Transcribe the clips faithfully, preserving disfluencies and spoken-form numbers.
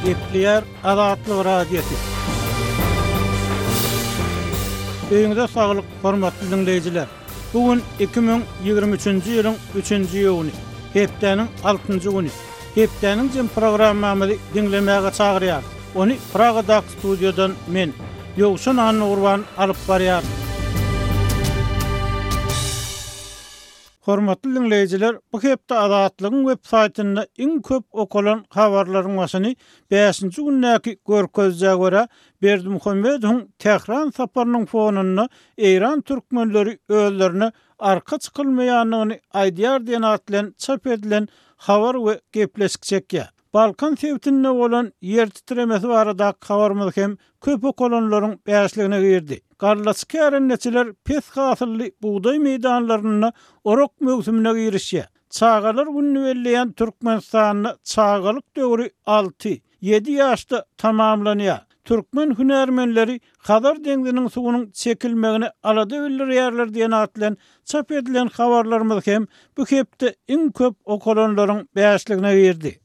Gepleýär Azatlyk Radiosy. Öýüňize saglyk, hormatly diňleýjiler! Bu gün iki müň ýigrimi üçünji ýylyň üçünji iýuny, hepdäniň altynjy güni. Hepdäniň jem programmamyzy diňlemäge çagyrýarys. Ony Pragadaky studiýadan men, Ýowşan Annagurban alyp barýaryn. Hormatly diňleýjiler, bu hepde Azatlygyň web saýtynda iň köp okalan habarlaryň başyny bäşinji gündäki görkezijä görä, Berdimuhamedowyň Tähran saparynyň fonunda Eýran türkmenleri özlerine arka çykylmaýandygyny aýdýar diýen at bilen çap edilen habar we gepleşik çekýär. Balkan sebitinde bolan ýer titremesi baradaky habarymyz hem köp okalanlaryň bäşligine girdi. Gallaçy kärendeçiler pes hasylly bugdaý meýdanlarynda orak möwsümine girişýär. Çagalar gününi belleýän Türkmenistanda çagalyk döwri alty, ýedi ýaşda tamamlanýar. Türkmen hünärmenleri Hazar deňziniň suwunyň çekilmegine alada bildirýärler diýen at bilen çap edilen habarlarymyz hem bu hepde iň köp okalanlaryň bäşligine girdi.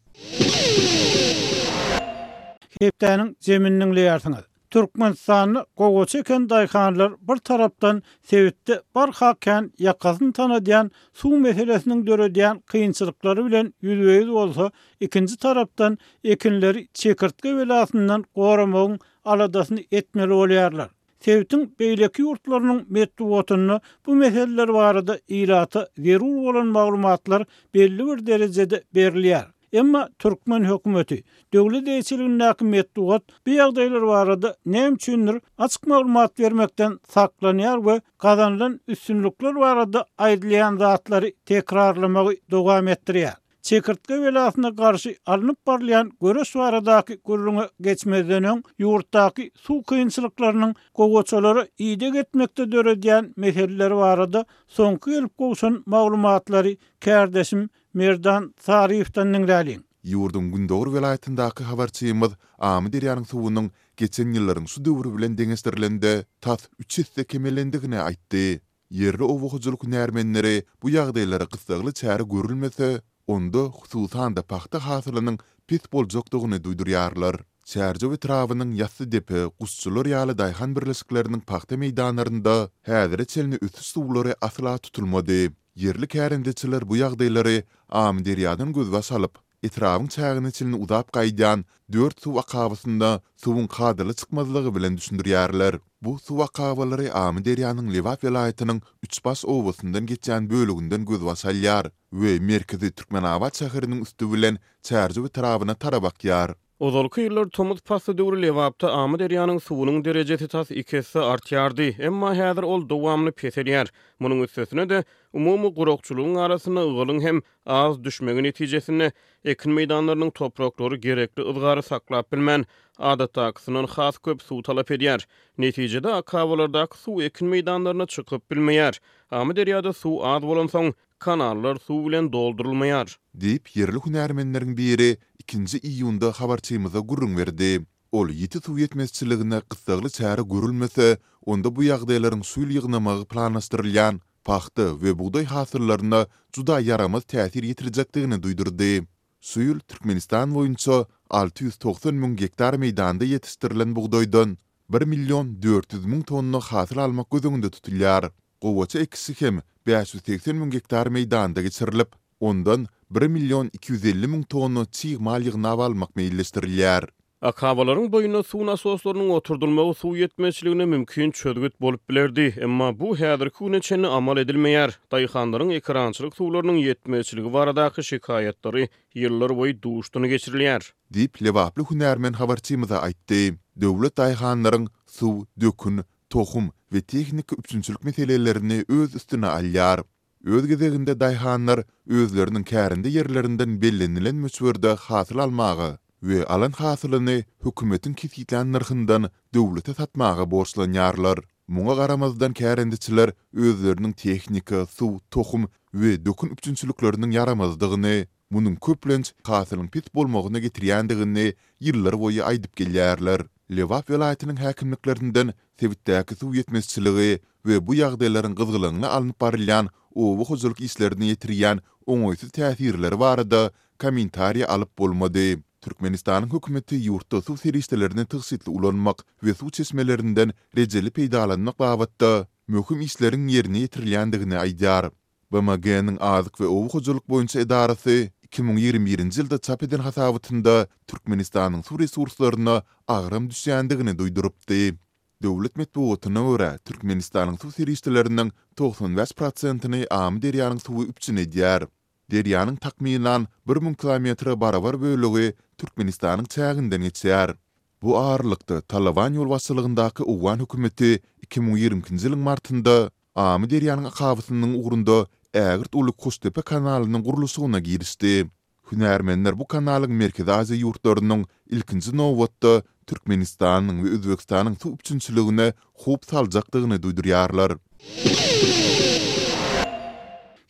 Hepdäniň jemini diňleýärsiňiz. Türkmenistanda gowaça eken daýhanlar bir tarapdan sebitde barha kän ýakasyny tanadýan suw meselesiniň döredýän kynçylyklary bilen ýüzbe-ýüz bolsa, ikinji tarapdan ekinleri çekirtge belasyndan goramagyň aladasyny etmeli bolýarlar. Sebitiň beýleki ýurtlarynyň metbugatynda bu meseleler barada ilata zerur bolan maglumatlar belli bir derejede berilýär. Emma türkmen hökümeti, döwlet eýeçiligindäki metbugat bu ýagdaýlar barada näme üçindir açyk maglumat bermekden saklanýar we gazanylan üstünlikler barada aýdylýan zatlary tekrarlamagy dowam etdirýär. Çekirtge belasyna garşy alnyp barylýan göreş baradaky gürrüňe geçmezden öň, ýurtdaky suw kynçylyklarynyň gowaçalara ideg etmekde döredýän meseleleri barada soňky gelip gowşan maglumatlary kärdeşim Merdan Saryýewden diňläliň. Ýurduň gündogar welaýatyndaky habarçymyz Amyderýanyň suwunyň geçen ýyllaryň şu döwri bilen deňeşdirilende tas üç esse kemelendigini aýtdy. Ýerli oba hojalyk hünärmenleri bu ýagdaýlara gyssagly çäre görülmese, onda hususan-da pagta hasylynyň pes boljakdygyny duýdurýarlar. Çärjew etrabynyň Ýassydepe, Guşçular ýaly daýhan birleşikleriniň pagta meýdanlarynda häzire çenli ösüş suwlary asla tutulmady. Ýerli kärendeçiler bu ýagdaýlary Amyderýadan gözbaş alyp, etrabyň çägine çenli uzap gaýdýan dört suw akabasynda suwuň kadaly çykmazlygy bilen düşündirýärler. Bu suw akabalary Amyderýanyň Lebap welaýatynyň Üçbaş obasyndan geçýän böleginden gözbaş alýar we merkezi Türkmenabat şäheriniň üsti bilen Çärjew etrabyna tarap akýar. Ozalky ýyllar tomus pasly döwri Lebapda Amyderýanyň suwunyň derejesi tas iki esse artýardy, emma häzir ol dowamly peselýär. Munuň üstesine-de, umumy gurakçylygyň arasynda ygalyň hem az düşmegi netijesinde, ekin meýdanlarynyň topraklary gerekli yzgary saklap bilmän, adatdakysyndan has köp suw talap edýär. Netijede, akabalardaky suw ekin meýdanlaryna çykyp bilmeýär. Amyderýada suw az bolansoň, Kanallar suw bilen doldurylmaýar. Diýip, ýerli hünärmenleriň biri ikinji iýunda habarçymyza gürrüň berdi. Ol ýiti suw ýetmezçiligine gyssagly çäre görülmese, onda bu ýagdaýlaryň şu ýyl ýygnamagy planlaşdyrylýan pagta we bugdaý hasyllaryna juda ýaramaz täsir ýetirjekdigini duýdurdy. Şu ýyl Türkmenistan boýunça alty ýüz togsan müň gektar meýdanda ýetişdirilen bugdaýdan bir million dört ýüz müň tonna hasyl almak göz öňünde tutulýar. Gowaça ekişi hem bäş ýüz segsen müň gektar meýdanda geçirilip, ondan bir million iki ýüz elli müň tonna çig mal ýygnap almak meýilleşdirilýär. Akabalaryň boýunda suw nasoslarynyň oturdylmagy suw ýetmezçiligine mümkin çözgüt bolup bilerdi, emma bu häzirki güne çenli amal edilmeýär. Daýhanlaryň ekerançylyk suwlarynyň ýetmezçiligi baradaky şikaýatlary ýyllarboýy duşdan geçirilýär. Diýip, lebaply hünärmen habarçymyza aýtdy. Döwlet daýhanlaryň suw, dökün, tohum we tehniki üpjünçilik meselelerini öz üstüne alýar. Öz gezeginde daýhanlar özleriniň kärende ýerlerinden bellenilen möçberde hasyl almaga we alan hasylyny hökümetiň kesgitlän nyrhyndan döwlete satmaga borçlanýarlar. Muňa garamazdan kärendeçiler özleriniň tehnika, suw, tohum we dökün üpjünçilikleriniň ýaramazdygyny, munuň köplenç hasylyň pes bolmagyna getirýändigini ýyllar boýy aýdyp gelýärler. Lebap welaýatynyň häkimliklerinden sebitdäki suw ýetmezçiligi we bu ýagdaýlaryň gyzgalaňly alnyp barylýan oba hojalyk işlerine ýetirýän oňaýsyz täsirleri barada kommentariý alyp bolmady. Türkmenistanyň hökümeti ýurtda suw serişdelerini tygşytly ulanmak we suw çeşmelerinden rejeli peýdalanmak babatda möhüm işleriň ýerine ýetirilýändigini aýdýar. B M G-niň Azyk we oba hojalyk boýunça edarasy iki müň ýigrimi birinji ýylda çap eden hasabatynda Türkmenistanyň suw resurslaryna agram düşýändigini duýdurypdy. Döwlet metbugatyna görä, Türkmenistanyň suw serişdeleriniň togsan bäş prosentini Amyderýanyň suwy üpjün edýär. Derýanyň takmynan bir müň kilometre barabar bölegi Türkmenistanyň çäginden geçýär. Bu aralykda, Talaban ýolbaşçylygyndaky owgan hökümeti iki müň ýigrimi ikinji ýylyň martynda Amyderýanyň akabasynyň ugrunda ägirt uly Koştepe kanalynyň gurluşygyna girişdi. Hünärmenler bu kanalyň Merkezi Aziýa ýurtlarynyň, ilkinji nobatda, Türkmenistanyň we Özbegistanyň suw üpjünçiligine howp saljakdygyny duýdurýarlar.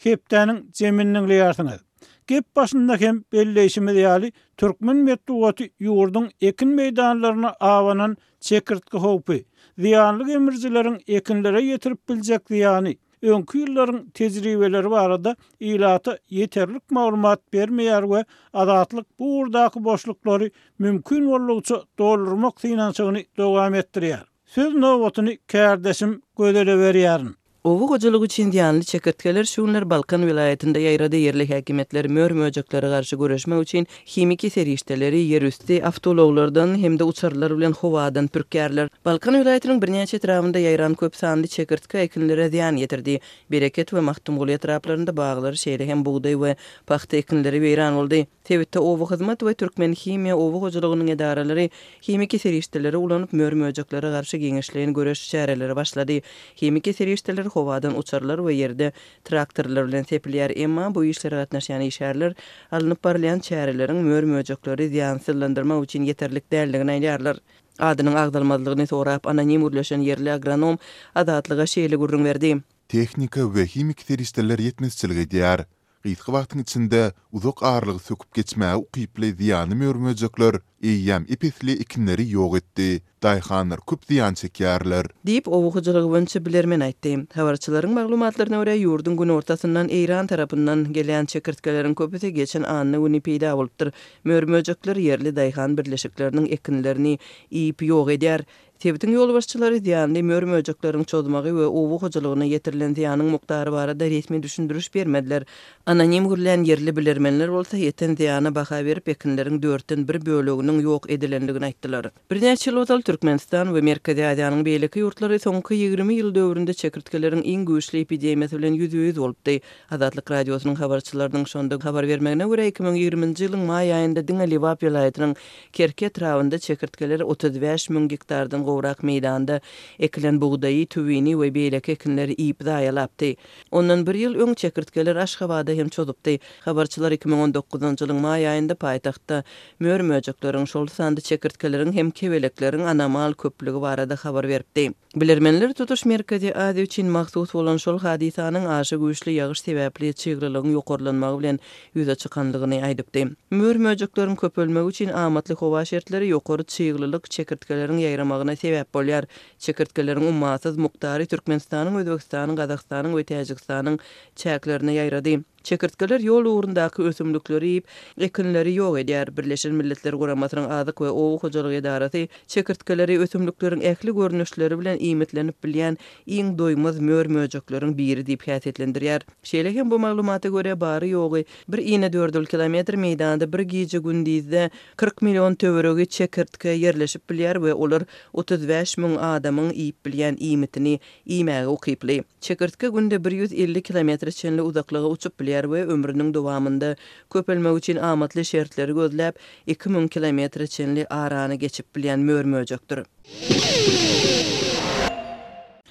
Hepdäniň jemini diňleýärsiňiz. Gep başynda hem belleýşimiz ýaly, türkmen metbugaty ýurduň ekin meýdanlaryna abanan çekirtge howpy, zyýanly gemrijileriň ekinlere ýetirip biljek zyýany, öňki ýyllaryň tejribeleri barada ilata ýeterlik maglumat bermeýär we Azatlyk bu ugurdaky boşluklary mümkin boldugyça doldurmak synanyşygyny dowam etdirýär. Söz nobatyny kärdeşim Gözele berýärin. Oba hojalygy üçin zyýanly çekirtgeler şu günler Balkan welaýatynda ýaýrady. Ýerli häkimiýetler mör-möjeklere garşy göreşmek üçin himiki serişdeleri ýerüsti awtoulaglardan hem-de uçarlar bilen howadan pürkýärler. Balkan welaýatynyň birnäçe etrabynda ýaýran köp sanly çekirtge ekinlere zyýan ýetirdi. Bereket we Magtymguly etraplarynda baglar, şeýle hem bugdaý we pagta ekinleri weýran boldy. Sebitde oba hyzmat we Türkmenhimiýa oba hojalygynyň edaralary himiki serişdeleri ulanyp, mör-möjeklere garşy giňişleýin göreş çäreleri başlady. Himiki serişdeler howadan uçarlar we ýerde traktorlar bilen sepilýär. Emma bu işlere gatnaşýan işgärler alnyp barylýan çäreleriň mör-möjekleri zyýansyzlandyrmak üçin ýeterlik däldigini aýdýarlar. Adynyň agzalmazlygyny sorap anonim gürleşen ýerli agronom Azatlyga şeýle gürrüň berdi. Tehnika we himiki serişdeler ýetmezçilik edýär. Gysga wagtyň içinde uzak aralygy söküp geçmäge ukyply zyýanly mör-möjekler eýýäm ep-esli ekinleri ýok etdi. Daýhanlar köp zyýan çekýärler. Diýip, oba hojalygy boýunça bilermen aýtdy. Habarçylaryň maglumatlaryna görä, ýurduň günortasyndan Eýran tarapyndan gelýän çekirtgeleriň köpüsi geçen anna güni peýda bolupdyr. Mör-möjekler ýerli daýhan birleşikleriniň ekinlerini iýip ýok edýär. Sebitiň ýolbaşçylary zyýanly mör-möjekleriň çozmagy we oba hojalygyna ýetirilen zyýanyň mukdary barada resmi düşündiriş bermediler. Anonim gürlän ýerli bilermenler bolsa ýeten zyýana baha berip, ekinleriň dörtden bir böleginiň ýok edilendigini aýtdylar. Birnäçe ýyl ozal Türkmenistan we Merkezi Aziýanyň beýleki ýurtlary soňky ýigrimi ýyl döwründe çekirtgeleriň iň güýçli epidemiýasy bilen ýüzbe-ýüz bolupdy. Azatlyk Radiosynyň habarçylarynyň şonda habar bermegine görä, iki müň ýigriminji ýylyň maý aýynda diňe Lebap welaýatynyň Kerki etrabynda çekirtgeler otuz bäş müň gektardan gowrak meýdanda ekilen bugdaýy, tüwini we beýleki ekinleri iýip zaýalapdy. Ondan bir ýyl öň çekirtgeler Aşgabada hem çozupdy. Habarçylar iki müň on dokuzynjy ýylyň maý aýynda paýtagtda mör-möjekleriň, şol sanda çekirtgeleriň hem kebelekleriň anomal köplügi barada habar beripdi. Bilermenler tutuş Merkezi Aziýa üçin mahsus bolan şol hadysanyň aşa güýçli ýagyş sebäpli çyglylygyň ýokarlanmagy bilen ýüze çykanlygyny aýdypdy. Mör-möjekleriň köpelmegi üçin amatly howa şertleri ýokary çyglylyk çekirtgeleriň ýaýramagyna sebäp bolýar. Çekirtgeleriň ummasyz mukdary Türkmenistanyň, Özbegistanyň, Gazagystanyň we Täjigistanyň çäklerine ýaýrady. Çekirtgeler ýol ugrundaky ösümlikleri iýip, ekinleri ýok edýär. Birleşen Milletler Guramasynyň Azyk we Oba hojalygy edarasy çekirtgeleri ösümlikleriň ähli görnüşleri bilen iýmitlenip bilýän iň doýmaz mör-möjekleriň biri diýip häsiýetlendirýär. Şeýle hem bu maglumata görä bary-ýogy bir inedördül kilometr meýdanda bir gije-gündizde kyrk million töweregi çekirtge ýerleşip bilýär we olar otuz bäş müň adamyň iýip bilýän iýmitini iýmäge ukyply. Çekirtge günde bir ýüz elli kilometre çenli uzaklyga uçup bilýär we ömrüniň dowamynda köpelmek üçin amatly şertleri gözläp, iki müň kilometre çenli arany geçip bilýän mör-möjekdir.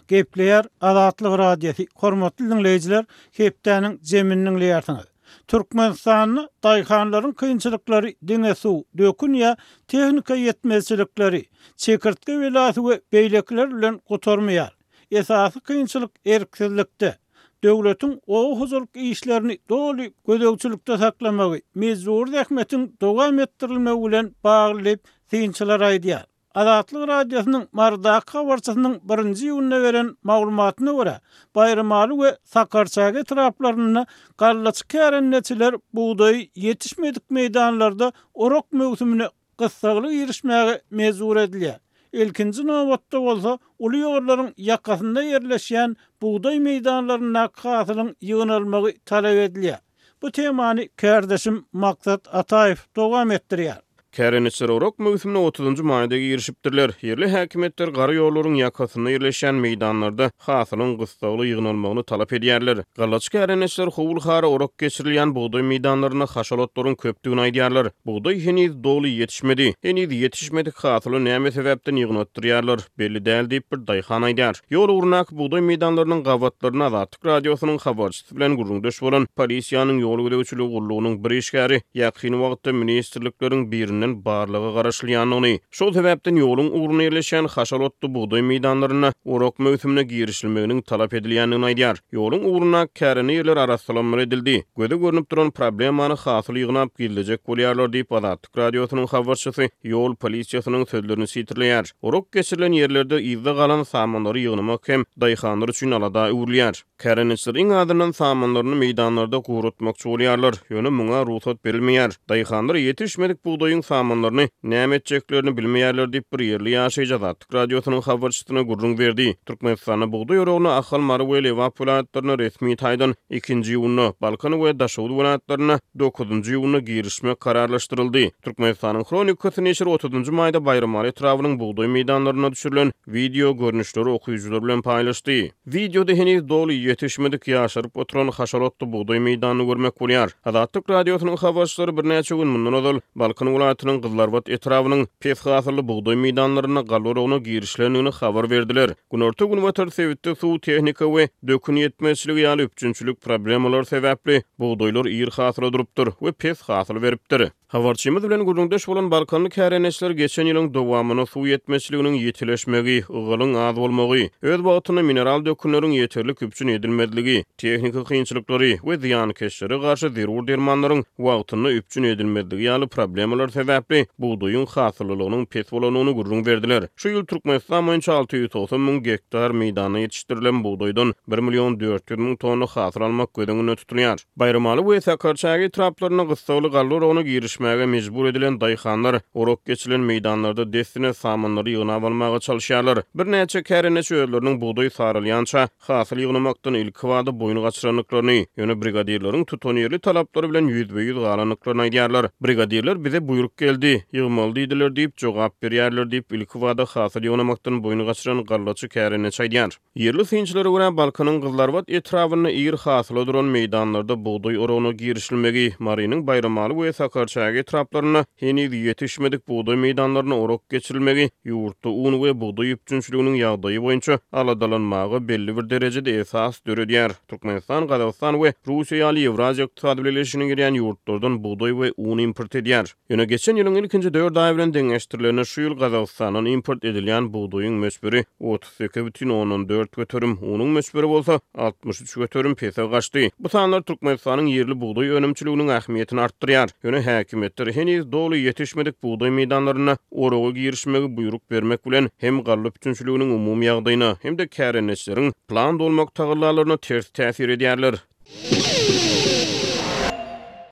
Gepleýär Azatlyk Radiosy. Hormatly dinleýjiler, hepdäniň jemini diňleýärsiňiz. Türkmenistanda daýhanlaryň kynçylyklary diňe suw, dökün ýa tehnika ýetmezçilikleri, çekirtge belasy we beýlekiler bilen gutarmaýar. Esasy kynçylyk erksizlikde. Döwletiň oba hojalyk işlerini doly gözegçilikde saklamagy, mejbur zähmetiň dowam etdirilmegi bilen bagly diýip synçylar aýdýar. Azatlyk Radiosynyň Marydaky habarçysynyň birinji iýunda beren maglumatyna görä, Baýramaly we Sakarçäge etraplarynda gallaçy kärendeçiler bugdaýy ýetişmedik meýdanlarda orak möwsümine gyssagly girişmäge mejbur edilýär. Ilkinji nobatda bolsa uly ýollaryň ýakasynda ýerleşýän bugdaý meýdanlaryndaky hasylyň ýygnalmagy talap edilýär. Bu temany kärdeşim Maksat Ataýew dowam etdirýär. Kärendeçiler orak möwsümine otuzynjy maýda girişipdirler. Ýerli häkimiýetler gara ýollaryň ýakasynda ýerleşýän meýdanlarda hasylyň gyssagly ýygnalmagyny talap edýärler. Gallaçy kärendeçiler howul-hara orak geçirilýän bugdaý meýdanlarynda haşal otlaryň köpdügini aýdýarlar. Bugdaý heniz doly ýetişmedi. Heniz ýetişmedik hasyly näme sebäpden ýygnatdyrýarlar, belli däl diýip bir daýhan aýdýar. Ýol ugrundaky bugdaý meýdanlarynyň gabatlaryna Azatlyk Radiosynyň habarçysy bilen gürrüňdeş bolan polisiýanyň ýol gözegçiligi gullugynyň bir işgäri ýakyn wagtda ministrlikleriň birinden barlaga garaşylýandygyny, şol sebäpden ýoluň ugrunda ýerleşýän haşal otly bugdaý meýdanlarynda orak möwsümine girişilmeginiň talap edilýändigini aýdýar. Ýoluň ugrundaky kärende ýerler arassalanmaly edildi. Göze görnüp duran problemany hasyl ýygnap gizlejek bolýarlar diýip Azatlyk Radiosynyň habarçysy ýol polisiýasynyň sözlerini sitirleýär. Orak geçirilen ýerlerde yzda galan samanlary ýygnamak hem daýhanlar üçin alada öwrülýär. Kärendeçiler iň azyndan samanlaryny meýdanlarda guratmakçy bolýarlar, ýöne muňa rugsat berilmeýär. Daýhanlar ýetişmedik bugdaýyň samanlaryny näme etjeklerini bilmeýärler diýip bir ýerli ýaşaýjy Azatlyk Radiosynyň habarçysyna gürrüň berdi. Türkmenistanda bugdaý oragyna Ahal, Mary we Lebap welaýatlaryna resmi taýdan ikinji iýunda, Balkan we Daşoguz welaýatlaryna dokuzynjy iýunda girişmek kararlaşdyryldy. Türkmenistanyň Hronikasy neşiri otuzynjy maýda Baýramaly etrabynyň bugdaý meýdanlaryna düşürilen wideo görnüşleri okyjylar bilen paýlaşdy. Wideoda heniz doly ýetişmedik ýaşaryp oturan haşal otly bugdaý meýdanyny görmek bolýar. Azatlyk Radiosynyň habarçylary birnäçe gün mundan ozal Balkan welaýatynyň Gyzlarbat etrabynyň pes hasylly bugdaý meýdanlarynda galla oragyna girişilendigini habar berdiler. Günorta-günbatar sebitde suw, tehnika we dökün ýetmezçiligi ýaly üpjünçilik problemalary sebäpli bugdaýlar ir hasyla durupdyr we pes hasyl beripdir. Habarçymyz bilen gürrüňdeş bolan Balkanly kärendeçiler geçen ýylyň dowamynda suw ýetmezçiliginiň ýitileşmegi, ygalyň az bolmagy, öz wagtynda mineral dökünleriň ýeterlik üpjün edilmezligi, tehniki kynçylyklary we zyýankeşlere garşy zerur dermanlaryň wagtynda üpjün edilmezligi ýaly problemalar sebäpli bugdaýyň hasyllylygynyň pes bolandygyny gürrüň berdiler. Şu ýyl Türkmenistan boýunça alty ýüz togsan müň gektar meýdanda ýetişdirilen bugdaýdan bir million dört ýüz müň tonna hasyl almak göz öňünde tutulýar. Baýramaly we Sakarçäge etraplarynda gyssagly galla oragyna girişmäge mejbur edilen daýhanlar orak geçirilen meýdanlarda dessine samanlary ýygnap almaga çalyşýarlar. Birnäçe kärendeçi özleriniň bugdaý saralýança hasyl ýygnamakdan ilkibada boýun gaçyrandyklaryny, ýöne brigadirleriň tutanýerli talaplary bilen ýüzbe-ýüz galandyklaryny aýdýarlar. Brigadirler bize buýruk geldi, ýygmaly diýdiler diýip jogap berýärler diýip ilkibada hasyl ýygnamakdan boýun gaçyran gallaçy kärendeçi aýdýar. Ýerli synçylara görä Balkanyň Gyzlarbat etrabynda ir hasyla duran meýdanlarda bugdaý oragyna girişilmegi, Marynyň Baýramaly we Sakarçäge etraplarynda heniz ýetişmedik bugdaý meýdanlaryna orak geçirilmegi ýurtda un we bugdaý üpjünçiliginiň ýagdaýy boýunça aladalanmaga belli bir derejede esas döredýär. Türkmenistan, Gazagystan we Russiýa ýaly Ýewraziýa Ykdysady Bileleşigine girýän ýurtlardan bugdaý we un import edýär. Ýöne geçen ýylyň ilkinji dört aýy bilen deňeşdirilende şu ýyl Gazagystandan import edilýän bugdaýyň möçberi otuz sekiz bütin ondan dört göterim, unuň möçberi bolsa altmyş üç göterim pese gaçdy. Bu sanlar Türkmenistanyň ýerli bugdaý önümçiliginiň ähmiýetini artdyrýar. Ýöne häkimiýetler heniz doly ýetişmedik bugdaý meýdanlaryna oraga girişmegi buýruk bermek bilen hem galla üpjünçiliginiň umumy ýagdaýyna hem-de kärendeçileriň plan dolmak tagallalaryna ters täsir edýärler.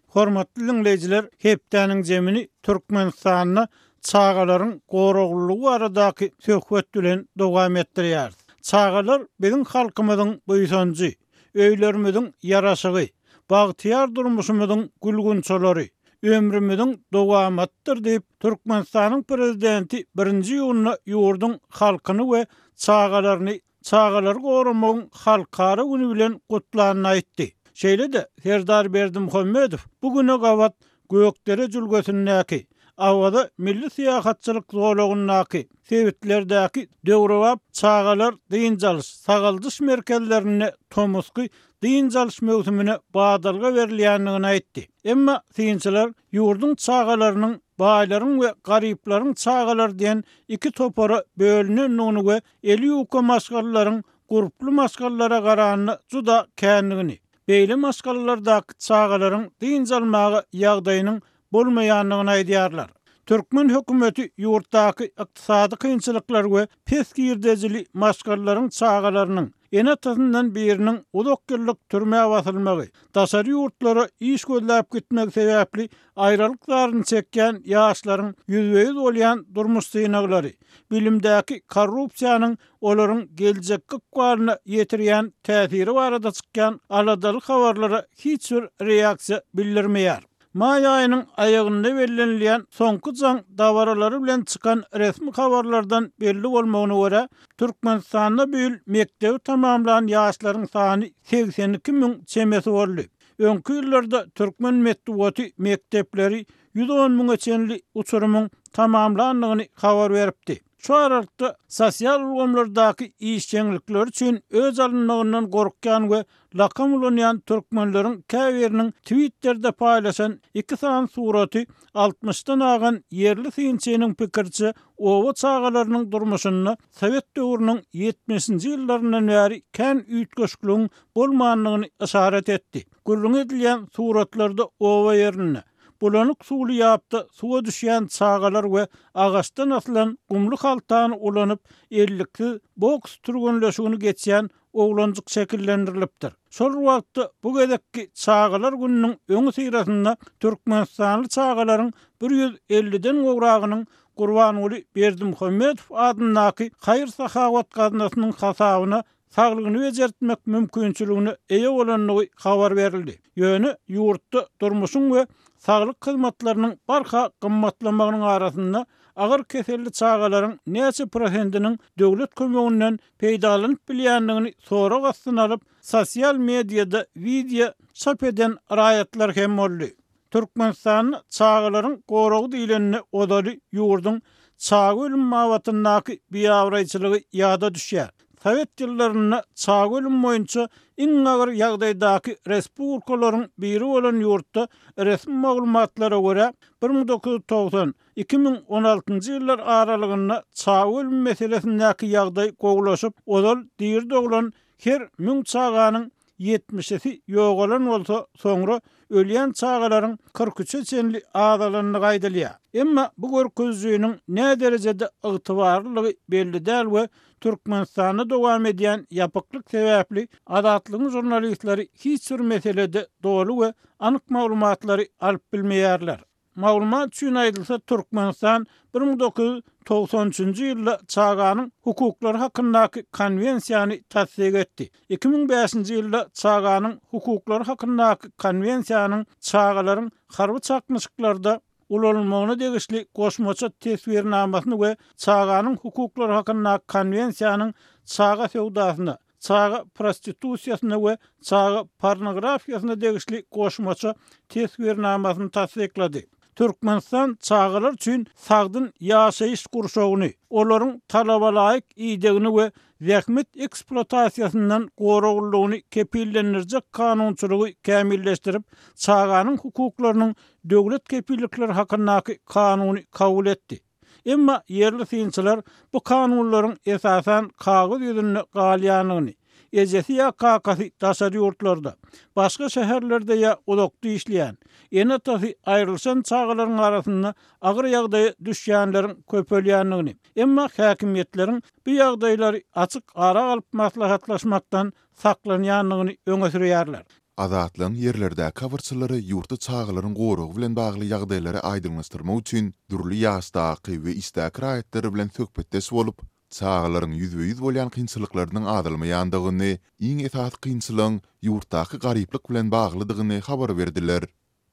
Hormatly dinleýjiler, hepdäniň zemini Türkmenistanda çagalaryň goraglylygy baradaky söhbet bilen dowam etdirýär. Çagalar biziň halkymyzyň buýsanjy, öýlerimiziň ýaraşygy, bagtyýar durmuşymyzyň gülgünçalary, ömrümüziň dowamatdyr diýip Türkmenistanyň prezidenti birinji iýunda ýurduň halkyny we çagalaryny çagalary goramagyň halkara güni bilen gutlanyny aýtdy. Şeýle-de Serdar Berdimuhamedow bu güne gabat Gökdere jülgesindäki Awaza milli syýahatçylyk zolagyndaky sebitlerdäki döwrebap çagalar dynç alyş, sagaldyş merkezlerinde tomusky dynç alyş möwsümine badalga berilýändigini aýtdy. Emma synçylar ýurduň çagalarynyň baýlaryň we garyplaryň çagalary diýen iki topara bölünendigini we eli ýuka maşgalalaryň gurply maşgalalara garanda juda kändigini, beýle maşgalalardaky çagalaryň dynç almaga ýagdaýynyň bolmaýandygyny aýdýarlar. Türkmen hökümeti ýurtdaky ykdysady kynçylyklar we pes girdejili maşgalalaryň çagalarynyň ene-atasyndan biriniň uzak ýyllyk türmä basylmagy, daşary ýurtlara iş gözläp gitmegi sebäpli aýralyk zaryny çekýän ýaşlaryň ýüzbe-ýüz bolýan durmuş synaglary, bilimdäki korrupsiýanyň olaryň geljekki ykbalyna ýetirýän täsiri barada çykýan aladaly habarlara hiç bir reaksiýa bildirmeýär. Maý aýynyň aýagynda bellenilýän Soňky jaň dabaralary bilen çykan resmi habarlardan belli bolmagyna görä, Türkmenistanda bu ýyl mekdebi tamamlan ýaşlaryň sany segsen iki müň çemesi boldy. Öňki ýyllarda türkmen metbugaty mekdepleri ýüz on müňe çenli uçurymyň tamamlandygyny habar beripdi. Şu aralykda, sosial ulgamlardaky işjeňlikleri üçin öç alynmagyndan gorkýan we lakam ulanýan türkmenleriň käbiriniň Twitterde paýlaşan iki sany suraty altmyşdan agan ýerli synçynyň pikiriçe, oba çagalarynyň durmuşynda sowet döwrüniň ýetmişinji ýyllaryndan bäri kän üýtgeşikligiň bolmandygyny yşarat etdi. Gürrüňi edilýän suratlarda oba ýerinde, Bulanyk suwly ýapda suwa düşýän çagalar we agaçdan asylan gumly haltany ulanyp, elliksiz boks türgenleşigini geçýän oglanjyk şekillendirilipdir. Şol bir wagtda, bu gezekki Çagalar gününiň öňüsyrasynda türkmenistanly çagalaryň bir ýüz elliden gowragynyň Gurbanguly Berdimuhamedow adyndaky haýyr-sahawat gaznasynyň hasabyna saglygyny bejertmek mümkinçiligine eýe bolandygy habar berildi. Ýöne ýurtda durmuşyň we saglyk hyzmatlarynyň barha gymmatlamagynyň arasynda agyr keselli çagalaryň näçe prosentiniň döwlet kömeginden peýdalanyp bilýändigini sorag astyna alyp, sosial mediada wideo çap eden raýatlar hem boldy. Türkmenistanda çagalaryň goragy diýlende ozaly ýurduň çaga ölümi babatyndaky biabraýçylygy ýada düşýär. Sowet ýyllarynda çaga ölümi boýunça iň agyr ýagdaýdaky respublikalaryň biri bolan ýurtda resmi maglumatlara görä, bir müň dokuz ýüz togsan, iki müň on altynjy ýyllar aralygynda çaga ölümi meselesindäki ýagdaý gowulaşyp, ozal diri doglan her müň çaganyň ýetmişisi ýogalan bolsa, soňra ölýän çagalaryň kyrk üçe çenli azalandygy aýdylýar. Emma bu görkezijiniň näderejede ygtybarlydygy belli däl we Türkmenistanda dowam edýän ýapyklyk sebäpli Azatlygyň žurnalistleri hiç bir meselede doly we anyk maglumatlary alyp bilmeýärler. Maglumat üçin aýdylsa, Türkmenistan bir müň dokuz ýüz togsan üçünji ýylda Çaganyň hukuklary hakyndaky Konwensiýany tassyk etdi. Iki müň bäşinji ýylda Çaganyň hukuklary hakyndaky Konwensiýanyň çagalaryň harby çaknyşyklarda ulanylmagyna degişli goşmaça teswirnamasyny we Çaganyň hukuklary hakyndaky Konwensiýanyň çaga söwdasyna, çaga prostitusiýasyna we çaga pornografiýasyna degişli goşmaça teswirnamasyny tassyklady. Türkmenistan çagalar üçin sagdyn ýaşaýyş gurşawyny, olaryň talabalaýyk idegini we zähmet ekspluatasiýasyndan goraglylygyny kepillendirjek kanunçylygy kämilleşdirip, Çaganyň hukuklarynyň döwlet kepillikleri hakyndaky Kanuny kabul etdi. Emma ýerli synçylar bu kanunlaryň esasan kagyz ýüzünde galýandygyny, ejesi ýa kakasy daşary ýurtlarda, başga şäherlerde ýa uzakda işleýän, ene-atasy aýrylyşan çagalaryň arasynda agyr ýagdaýa düşýänleriň köpelýändigini, emma häkimiýetleriň bu ýagdaýlary açyk ara alyp maslahatlaşmakdan saklanýandygyny öňe sürýärler. Azatlygyň ýerlerdäki habarçylary ýurtda çagalaryň goragy bilen bagly ýagdaýlary aýdyňlaşdyrmak üçin dürli ýaşdaky we işdäki raýatlar bilen söhbetdeş bolup, çagalaryň ýüzbe-ýüz bolýan kynçylyklarynyň azalmaýandygyny, iň esasy kynçylygyň ýurtdaky garyplyk bilen baglydygyny habar berdiler.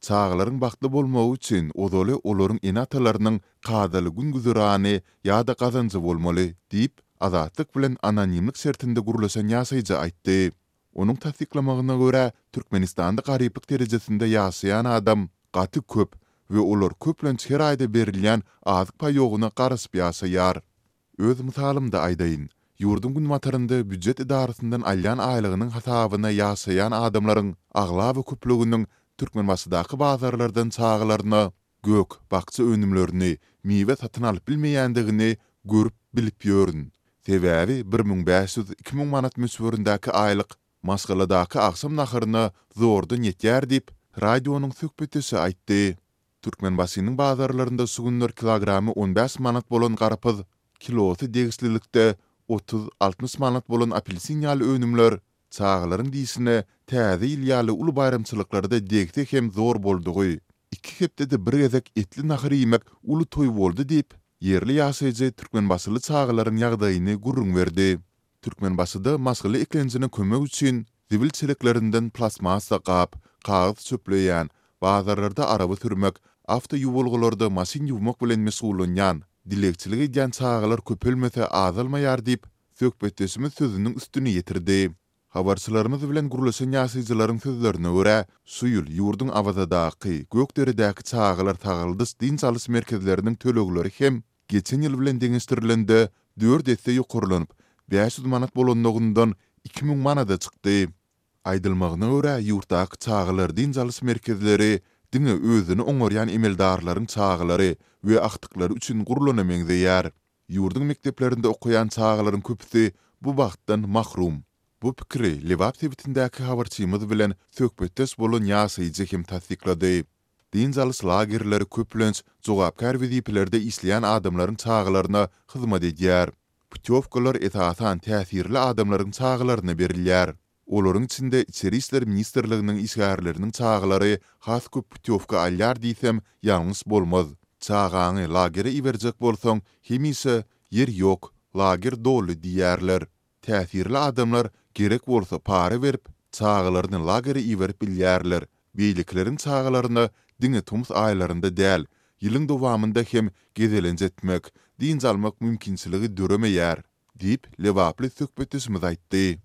Çagalaryň bagtly bolmagy üçin ozaly olaryň ene-atalarynyň kadaly gün-güzerany ýa-da gazanjy bolmaly diýip, Azatlyk bilen anonimlik şertinde gürleşen ýaşaýjy aýtdy. Onuň tassyklamagyna görä, Türkmenistanda garyplyk derejesinde ýaşaýan adam gaty köp we olar köplenç her aýda berilýän azyk paýogyna garaşyp ýaşaýar. Öz mysalymda aýdaýyn. Ýurduň günbatarynda býujet edarasyndan alýan aýlygynyň hasabyna ýaşaýan adamlaryň aglaba köplüginiň Türkmenbaşydaky bazarlardan çagalaryna gök, bakja önümlerini, miwe satyn alyp bilmeýändigini görüp, bilip ýörün. Sebäbi bir müň bäş ýüz, iki müň manat möçberindäki aýlyk maşgaladaky agşam naharyna zordan ýetýär diýip, radionyň söhbetdeşi aýtdy. Türkmenbaşynyň bazarlarynda şu günler kilogramy on bäş manat bolan garpyz, kilosy degişlilikde otuz, altmyş manat bolan apelsin ýaly önümler çagalaryň dişine Täze ýyl ýaly uly baýramçylyklarda degse hem zor boldugy. Iki hepdede bir gezek etli nahar iýmek uly toý boldy diýip, ýerli ýaşaýjy türkmenbaşyly çagalaryň ýagdaýyny gürrüň berdi. Türkmenbaşyda maşgala eklenjine kömek üçin zibil çeleklerinden plastmassa gap, kagyz çöpleýän, bazarlarda araba sürmek, awtoýuwalgalarda maşyn ýuwmak bilen meşgullanýan, dilegçilik edýän çagalar köpelmese azalmaýar diýip, söhbetdeşimiz sözüniň üstüni ýetirdi. Habarçylarymyz bilen gürleşen ýaşaýjylaryň sözlerine görä, şu ýyl ýurduň Awazadaky, Gökderedäki çagalar sagaldyş-dynç alyş merkezleriniň tölegleri hem geçen ýyl bilen deňeşdirilende dört esse ýokarlanyp, bäş ýüz manat bolanlygyndan iki müň manada çykdy. Aýdylmagyna görä, ýurtdaky çagalar dynç alyş merkezleri diňe özüni oňarýan emeldarlaryň çagalary we agtyklary üçin gurlana meňzeýär. Ýurduň mekdeplerinde okaýan çagalaryň köpüsi bu bagtdan mahrum. Bu pikiri Lebap sebitindäki habarçymyz bilen söhbetdeş bolan ýaşaýjy hem tassyklady. Dynç alyş lagerleri köplenç jogapkär wezipelerde işleýän adamlaryň çagalaryna hyzmat edýär. Putýowkalar esasan täsirli adamlaryň çagalaryna berilýär. Olaryň içinde Içeri işler ministrliginiň işgärleriniň çagalary has köp putýowka alýar diýsem, ýalňyş bolmaz. Çagaňy lagere iberjek bolsaň, hemişe ýer ýok, lager doly diýýärler. Täsirli adamlar gerek bolsa para berip, çagalaryny lagere iberip bilýärler. Beýlekileriň çagalaryna diňe tomus aýlarynda däl, ýylyň dowamynda hem gezelenç etmek, dynç almak mümkinçiligi döremeýär, diýip, lebaply söhbetdeşimiz aýtdy.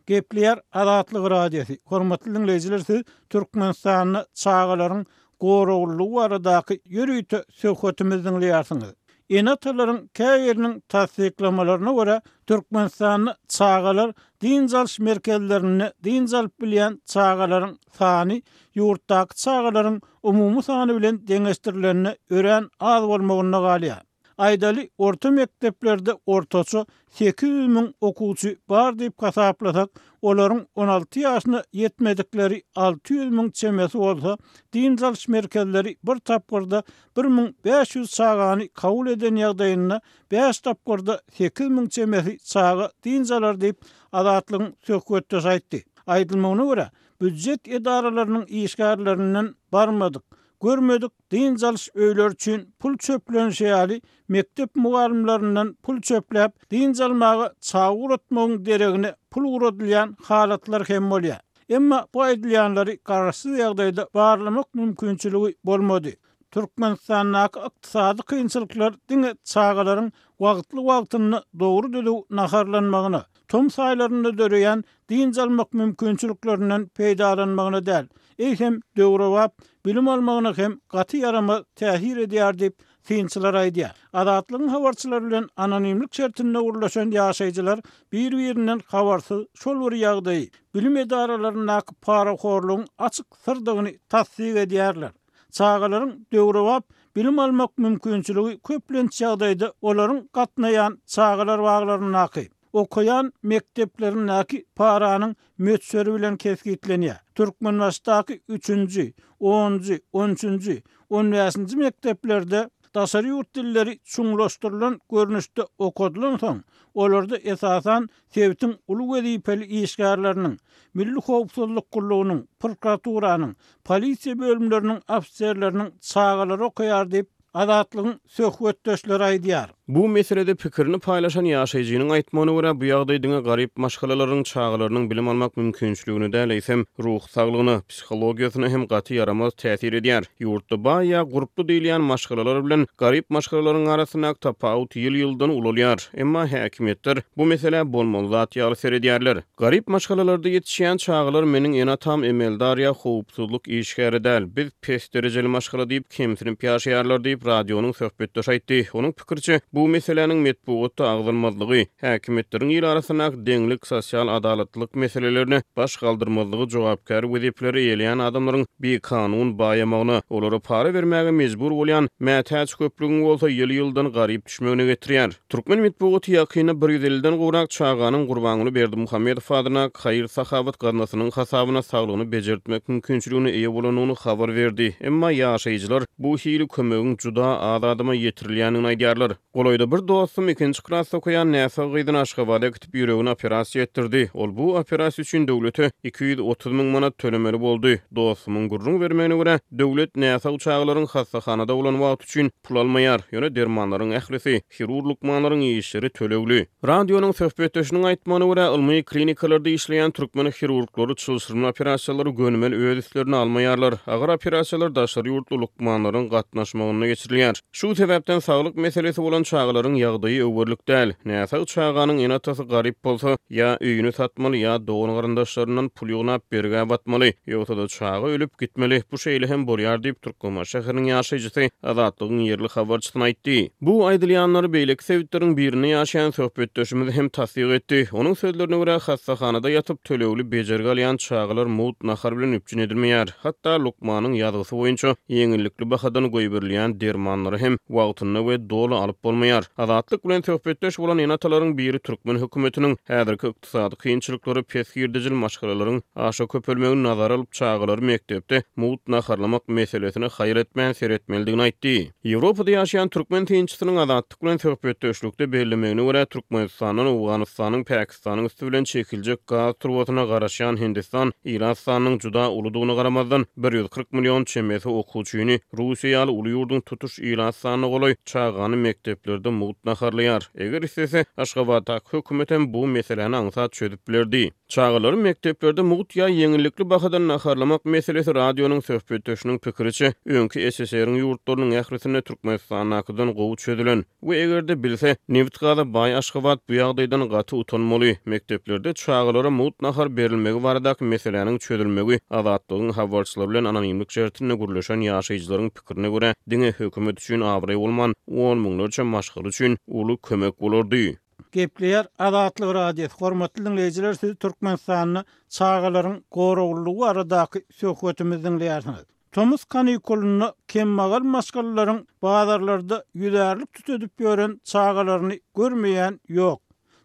Gepleýär Azatlyk Radiosy. Hormatly diňleýjiler, siz Türkmenistanda çagalaryň goraglylygy baradaky ýörite söhbetimizi diňleýärsiňiz. Ene-atalaryň käbiriniň tassyklamalaryna görä, Türkmenistanda çagalar dynç alyş merkezlerinde dynç alyp bilýän çagalaryň sany ýurtdaky çagalaryň umumy sany bilen deňeşdirilende örän az bolmagynda galýar. Aýdaly, orta mekdeplerde ortaça sekiz ýüz müň okuwçy bar diýip hasaplasak, olaryň on alty ýaşyna ýetmedikleri alty ýüz müň çemesi bolsa, dynç alyş merkezleri bir tapgyrda bir müň bäş ýüz çagany kabul eden ýagdaýynda bäş tapgyrda sekiz müň çemesi çaga dynç alar diýip, Azatlygyň söhbetdeşi aýtdy. Aýdylmagyna görä, býujet edaralarynyň işgärlerinden barmadyk, görmedik dynç alyş öýleri üçin pul çöplenişi ýaly mekdep mugallymlaryndan pul çöpläp, dynç almaga çaga ugratmagyň deregine pul ugradylýan halatlar hem bolýar. Emma bu aýdylýanlary garaşsyz ýagdaýda barlamak mümkinçiligi bolmady. Türkmenistandaky ykdysady kynçylyklar diňe çagalaryň wagtly-wagtynda dogry düzüw naharlanmagyna, tomus aýlarynda döreýän dynç almak mümkinçiliklerinden peýdalanmagyna däl, eýsem döwrebap bilim almagyna hem gaty ýaramaz täsir edýär diýip synçylar aýdýar. Azatlygyň habarçylary bilen anonimlik şertinde gurlaşan ýaşaýjylar bir-birinden habarsyz şol bir ýagdaýy bilim edaralaryndaky parahorlugyň açyk syrdygyny tassyk edýärler. Çagalaryň döwrebap bilim almak mümkinçiligi köplenç ýagdaýda olaryň gatnaýan çagalar baglaryndaky, okaýan mekdeplerindäki paranyň möçberi bilen kesgitlenýär. Türkmenbaşdaky üçünji, onunjy, on üçünji, on bäşinji mekdeplerde daşary ýurt dilleri çuňlaşdyrylan görnüşde okadylan soň, olarda esasan sebitiň uly wezipeli işgärleriniň, Milli howpsuzlyk gullugynyň, prokuraturanyň, polisiýa bölümleriniň ofiserleriniň çagalary okaýar diýip, Azatlygyň söhbetdeşleri aýdýar. Bu meselede pikirini paýlaşan ýaşaýjynyň aýtmagyna görä, bu ýagdaý diňe garyp maşgalalaryň çagalarynyň bilim almak mümkinçiligine däl, eýsem, ruhy saglygyna, psihologiýasyna hem gaty ýaramaz täsir edýär. Ýurtda baý ýa gurply diýilýän maşgalalar bilen garyp maşgalalaryň arasyndaky tapawut ýyl-ýyldan ulalýar. Emma häkimiýetler bu meselä bolmaly zat ýaly seredýärler. Garyp maşgalalarda ýetişýän çagalar meniň ene-atam emeldar ýa howpsuzlyk işgäri däl, biz pes derejeli maşgala diýip kemsinip ýaşaýarlar diýip, radionyň söhbetdeşi aýtdy. Onuň pikiriçe, bu Bu meseläniň metbugatda agzalmazlygy, häkimiýetleriň il arasyndaky deňlik, sosial adalatlylyk meselelerine baş galdyrmazlygy jogapkär wezipeleri eýeleýän adamlaryň bikanun baýamagyna, olara para bermäge mejbur bolýan mätäç köplügiň bolsa ýyl-ýyldan garyp düşmegine getirýär. Türkmen metbugaty ýakynda bir ýüz elliden gowrak çaganyň Gurbanguly Berdimuhamedow adyna haýyr-sahawat gaznasynyň hasabyna saglygyny bejertmek mümkinçiligine eýe bolandygyny habar berdi. Emma ýaşaýjylar bu hili kömegiň juda az adama ýetirilýändigini aýdýarlar. Golaýda bir dostum ikinji klasda okaýan näsag gyzyny Aşgabada äkidip ýüregini operasiýa etdirdi. Ol bu operasiýa üçin döwlete iki ýüz otuz müň manat tölemeli boldy. Dostumyň gürrüň bermegine görä, döwlet näsag çagalaryň hassahanada bolan wagty üçin pul almaýar, ýöne dermanlaryň ählisi, hirurg lukmanlaryň işleri tölegli. Radionyň söhbetdeşiniň aýtmagyna görä, ylmy klinikalarda işleýän türkmen hirurglary çylşyrymly operasiýalary gönümel öz üstlerine almaýarlar. Agyr operasiýalar daşary ýurtly lukmanlaryň gatnaşmagynda geçirilýär. Şu sebäpden saglyk meselesi bolan çagalaryň ýagdaýy öwürlik däl. Näsag çaganyň ene-atasy garyp bolsa, ýa öýüni satmaly, ýa dogan garyndaşlaryndan pul ýygnap bergä batmaly, ýogsa-da çaga ölüp gitmeli. Bu şeýle hem bolýar diýip Türkmenbaşy şäheriniň ýaşaýjysy Azatlygyň ýerli habarçysyna aýtdy. Bu aýdylýanlary beýleki sebitleriň birinde ýaşaýan söhbetdeşimiz hem tassyk etdi. Onuň sözlerine görä, hassahanada ýatyp tölegli bejergi alýan çagalar mugt nahar bilen üpjün edilmeýär. Hatda lukmanyň ýazgysy boýunça ýeňillikli bahadan goýberilýän dermanlary hem wagtynda we doly alyp bolmaýar. Azatlyk bilen söhbetdeş bolan ene-atalaryň biri türkmen hökümetiniň häzirki ykdysady kynçylyklary pes girdejili maşgalalaryň aşa köpelmegini nazara alyp çagalary mekdepde mugt naharlamak meselesine haýyr etmän seretmelidigini aýtdy. Ýewropada ýaşaýan türkmen synçysynyň Azatlyk bilen söhbetdeşlikde bellemegine görä, Türkmenistandan Owganystanyň, Pakistanyň üsti bilen çekiljek gaz turbasyna garaşýan Hindistan ilat sanynyň juda uludygyna garamazdan bir ýüz kyrk million çemesi okuwçyny Russiýa ýaly uly ýurduň tutuş ilat sanyna golaý çagany mekdeplerde mugt naharlaýar. Eger istese, Aşgabatdaky hökümet hem bu meseläni aňsat çözüp bilerdi. Çagalary mekdeplerde mugt ýa ýeňillikli bahadan naharlamak meselesi radionyň söhbetdeşiniň pikiriçe öňki S S R-iň ýurtlarynyň ählisinde Türkmenistandakydan gowy çözülen we eger-de bilse, nebit gaza baý Aşgabat bu ýagdaýdan gaty utanmaly. Mekdeplerde çagalara mugt nahar berilmegi baradaky meseläniň çözülmegi Azatlygyň habarçylary bilen anonimlik şertinde gürleşen ýaşaýjylaryň pikirine görä, diňe hökümet üçin abraý bolman, on müňlerçe maşgala üçin uly kömek bolardy. Gepleýär Azatlyk Radiosy. Hormatly dinleýjiler, siz Türkmenistanda çagalaryň goraglylygy baradaky söhbetimizi dinleýärsiňiz. Tomus kanikulynda kemmagal maşgalalaryň bazarlarda ýüzärlik tütedip ýören çagalaryny görmeýän ýok.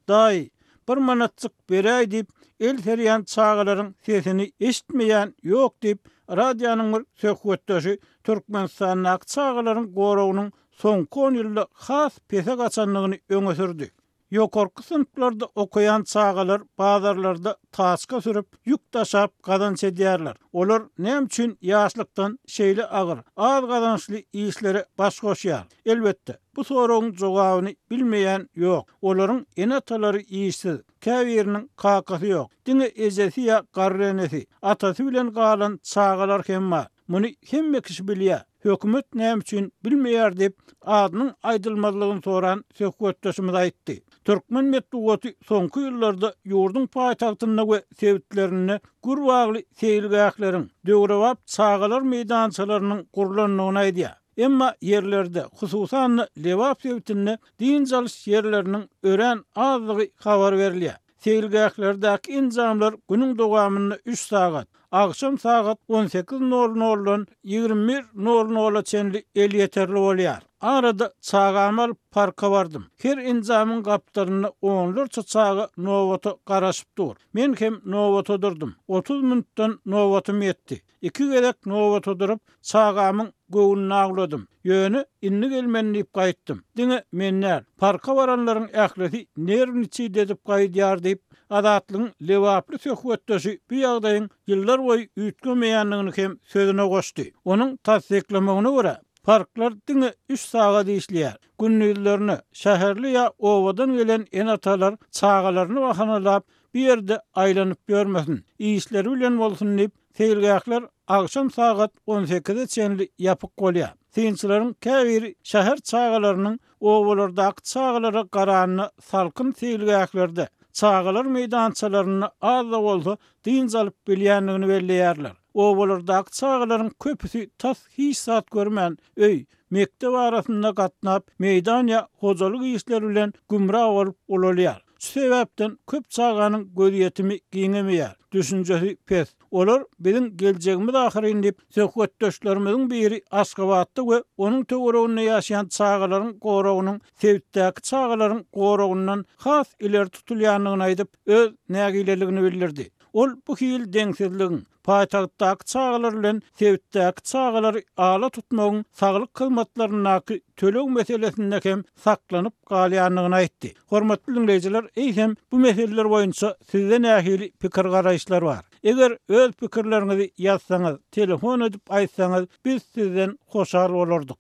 Daýy, bir manatjyk beräý diýip, el serýän çagalaryň sesini eşitmeýän ýok diýip, radionyň bir söhbetdeşi Türkmenistandaky çagalaryň goragynyň soňky on ýylda has pese gaçandygyny öňe sürdi. Ýokarky synplarda okaýan çagalar bazarlarda taçka sürüp, ýük daşap gazanç edýärler. Olar näme üçin ýaşlykdan şeýle agyr, az gazançly işlere baş goşýar? Elbetde, bu soragyň jogabyny bilmeýän ýok. Olaryň ene-atalary işsiz, käbiriniň kakasy ýok. Diňe ejesi ýa garry enesi, atasy bilen galan çagalar hem bar. Muny hemme kişi bilýär. Hökümet näme üçin bilmeýär diýip, adynyň aýdylmazlygyny soran söhbetdeşimiz aýtdy. Türkmen metbugaty soňky ýyllarda ýurduň paýtagtynda we sebitlerinde gür bagly seýilgähleriň, döwrebap çagalar meýdançalarynyň gurlandygyny aýdýar. Emma ýerlerde, hususan-da Lebap sebitinde dynç alyş ýerleriniň örän azlygy habar berilýär. Seýilgählerdäki enjamlar günüň dowamynda üç sagat, akşam sagat on sekiz nol noldan ýigrimi bir nol nola çenli elýeterli bolýar. Arada çagamy alyp parka bardym. Her enjamyň gapdalynda onlarça çaga nobata garaşyp dur. Men hem nobata durdum. Otuz minutdan nobatym ýetdi. Iki gezek nobata durup çagamyň göwnüni awladym. Ýöne indi gelmen diýip gaýtdym. Diňe men däl, parka baranlaryň ählisi nerwniçi edip gaýdýar diýip, Azatlygyň Lebaply söhbetdeşi bu ýagdaýyň ýyllar boýy üýtgemeýändigini hem sözüne goşdy. Onuň tassyklamagyna görä, parklar diňe üç sagat işleýär. Gündizlerine şäherli ýa obadan gelen ene-atalar çagalaryny bahanalap bir ýerde aýlanyp ýörmesin, işleri bilen bolsun diýip, seýilgähler akşam sagat on sekize çenli ýapyk bolýar. Synçylaryň käbiri şäher çagalarynyň obalardaky çagalara garanyna salkyn seýilgählerde, çagalar meýdançalarynda az da bolsa dynç alyp bilýändigini belleýärler. Obalardaky çagalaryň köpüsi tas hiç zat görmän, öý, mekdep arasynda gatnap, meýdan ýa hojalyk işleri bilen gümra bolup ulalýar. Şu sebäpden köp çaganyň gözýetimi giňemeýär, düşünjesi pes. Olar biziň geljegimiz ahyryn diýip, söhbetdeşlerimiziň biri Aşgabatda we onuň töwereginde ýaşaýan çagalaryň goragynyň sebitdäki çagalaryň goragyndan has ileri tutulýandygyny aýdyp, öz nägileligini bildirdi. Ol bu hili deňsizligiň, paýtagtdaky çagalar bilen sebitdäki çagalary ala tutmagyň saglyk hyzmatlaryndaky töleg meselesinde hem saklanyp galýandygyny aýtdy. Hormatly diňleýjiler, eýsem bu meseleler boýunça sizde nähili pikir-garaýyşlar bar? Eger öz pikirleriňizi ýazsaňyz, telefon edip aýtsaňyz, biz sizden hoşal bolardyk.